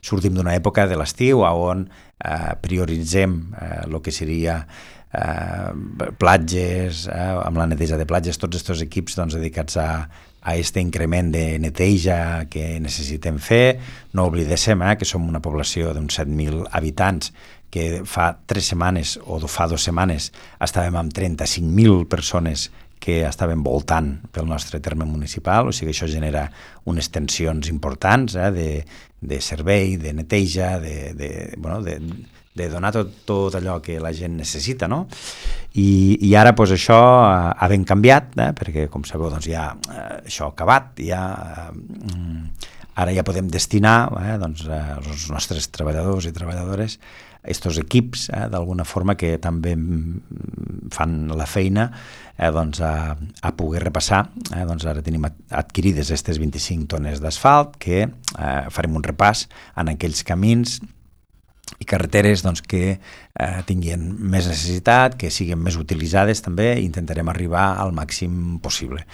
sortim d'una època de l'estiu on prioritzem el que seria platges, amb la neteja de platges, tots aquests equips dedicats a aquest increment de neteja que necessitem fer. No oblidéssim que som una població d'uns 7.000 habitants, que fa 3 setmanes o fa 2 setmanes estàvem amb 35.000 persones que estaven voltant pel nostre terme municipal, o sigui que això genera unes tensions importants de servei, de neteja, de donar tot allò que la gent necessita, no? I ara això ha ben canviat, perquè com sabeu ja això ha acabat, ara ja podem destinar els nostres treballadors i treballadores a aquests equips, d'alguna forma, que també fan la feina a poder repassar. Ara tenim adquirides aquestes 25 tones d'asfalt, que farem un repàs en aquells camins i carreteres que tinguin més necessitat, que siguin més utilitzades també, i intentarem arribar al màxim possible.